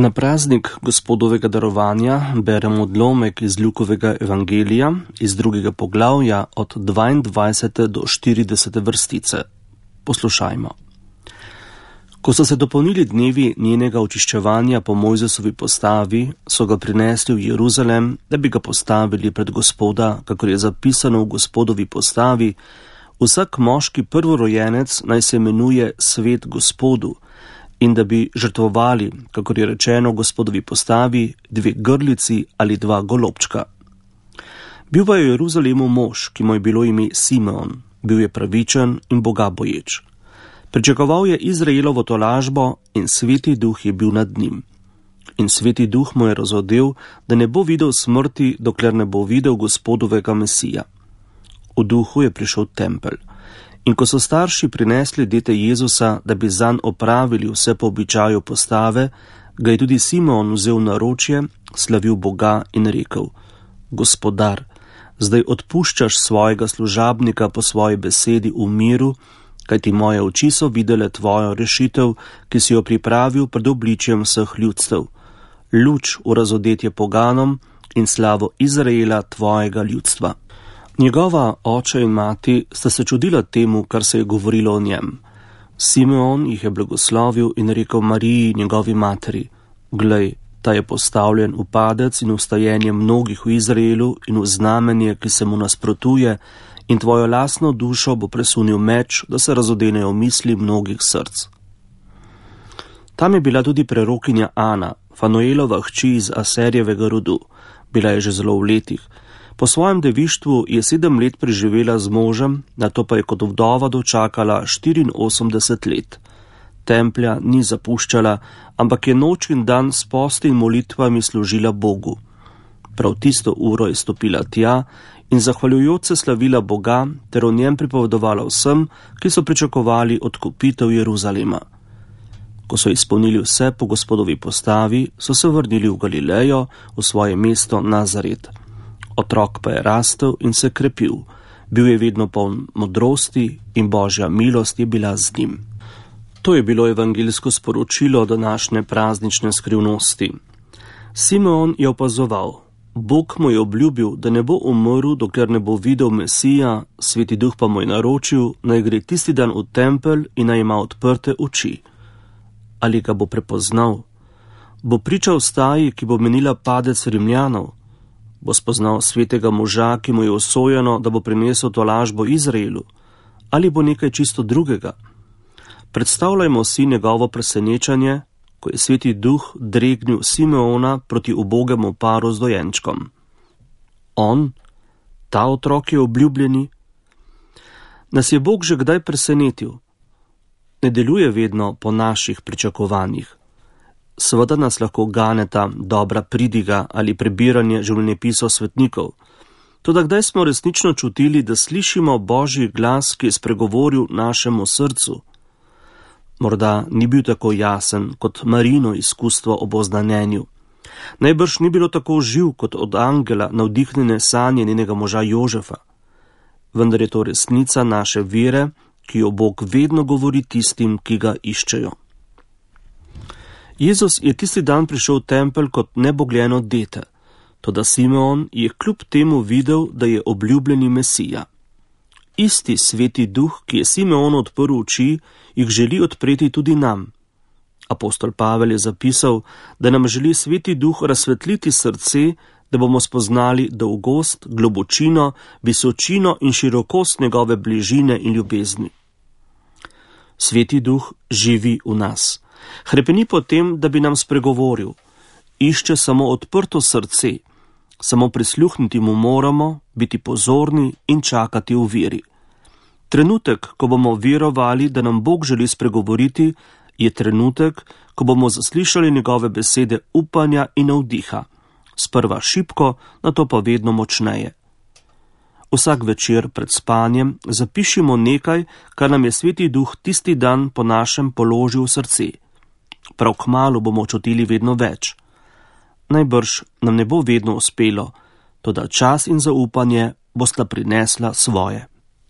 Na praznik Gospodovega darovanja beremo odlomek iz Lukovega evangelija iz 2. poglavja od 22. do 40. vrstice. Poslušajmo. Ko so se dopolnili dnevi njenega očiščevanja po Mojzesovi postavi, so ga prinesli v Jeruzalem, da bi ga postavili pred Gospoda, kakor je zapisano v Gospodovi postavi: vsak moški prvorojenec naj se imenuje svet Gospodu, in da bi žrtvovali, kakor je rečeno v Gospodovi postavi, 2 grlici ali 2 golobčka. Bil pa je v Jeruzalemu mož, ki mu je bilo ime Simeon, bil je pravičen in bogaboječ. Pričakoval je Izraelovo tolažbo in Sveti Duh je bil nad njim. In Sveti Duh mu je razodel, da ne bo videl smrti, dokler ne bo videl Gospodovega Mesija. V duhu je prišel v tempelj. In ko so starši prinesli dete Jezusa, da bi zanj opravili vse po običaju postave, ga je tudi Simeon vzel v naročje, slavil Boga in rekel: Gospodar, zdaj odpuščaš svojega služabnika po svoji besedi v miru, kajti moje oči so videle tvojo rešitev, ki si jo pripravil pred obličjem vseh ljudstev, luč v razodetje poganom in slavo Izraela tvojega ljudstva. Njegova oče in mati sta se čudila temu, kar se je govorilo o njem. Simeon jih je blagoslovil in rekel Mariji, njegovi materi: Glej, ta je postavljen v padec in vstajenje mnogih v Izraelu in v znamenje, ki se mu nasprotuje, in tvojo lastno dušo bo presunil meč, da se razodenejo misli mnogih src. Tam je bila tudi prerokinja Ana, Fanuelova hči iz Aserjevega rodu. Bila je že zelo v letih. Po svojem devištvu je 7 let preživela z možem, nato pa je kot vdova dočakala 84 let. Templja ni zapuščala, ampak je noč in dan s posti in molitvami služila Bogu. Prav tisto uro je stopila tja in zahvaljujoč se slavila Boga ter o njem pripovedovala vsem, ki so pričakovali odkupitev Jeruzalema. Ko so izpolnili vse po Gospodovi postavi, so se vrnili v Galilejo, v svoje mesto Nazaret. Otrok pa je rastel in se krepil. Bil je vedno poln modrosti in Božja milost je bila z njim. To je bilo evangeljsko sporočilo današnje praznične skrivnosti. Simeon je opazoval. Bog mu je obljubil, da ne bo umrl, dokler ne bo videl Mesija, Sveti Duh pa mu je naročil, naj gre tisti dan v tempelj in naj ima odprte oči. Ali ga bo prepoznal? Bo pričal staji, ki bo menila padec Rimljanov? Bo spoznal svetega moža, ki mu je usojeno, da bo prinesel tolažbo Izraelu? Ali bo nekaj čisto drugega? Predstavljajmo si njegovo presenečenje, ko je Sveti Duh dregnil Simeona proti ubogemu paru z dojenčkom. On, ta otrok je obljubljeni? Nas je Bog že kdaj presenetil? Ne deluje vedno po naših pričakovanjih. Seveda nas lahko ganeta dobra pridiga ali prebiranje življenjepisov svetnikov. Toda kdaj smo resnično čutili, da slišimo Božji glas, ki je spregovoril našemu srcu? Morda ni bil tako jasen kot Marino izkustvo ob oznanjenju. Najbrž ni bilo tako živ kot od angela navdihnjene sanje njenega moža Jožefa. Vendar je to resnica naše vere, ki jo Bog vedno govori tistim, ki ga iščejo. Jezus je tisti dan prišel v tempelj kot nebogljeno dete, toda Simeon je kljub temu videl, da je obljubljeni Mesija. Isti Sveti Duh, ki je Simeonu odprl oči, jih želi odpreti tudi nam. Apostol Pavel je zapisal, da nam želi Sveti Duh razsvetliti srce, da bomo spoznali dolgost, globočino, visočino in širokost njegove bližine in ljubezni. Sveti Duh živi v nas. Hrepeni po tem, da bi nam spregovoril. Išče samo odprto srce. Samo prisluhniti mu moramo, biti pozorni in čakati v veri. Trenutek, ko bomo verovali, da nam Bog želi spregovoriti, je trenutek, ko bomo zaslišali njegove besede upanja in navdiha. Sprva šibko, nato pa vedno močneje. Vsak večer pred spanjem zapišimo nekaj, kar nam je Sveti Duh tisti dan po našem položil v srce. Prav kmalu bomo čutili vedno več. Najbrž nam ne bo vedno uspelo, toda čas in zaupanje bosta prinesla svoje.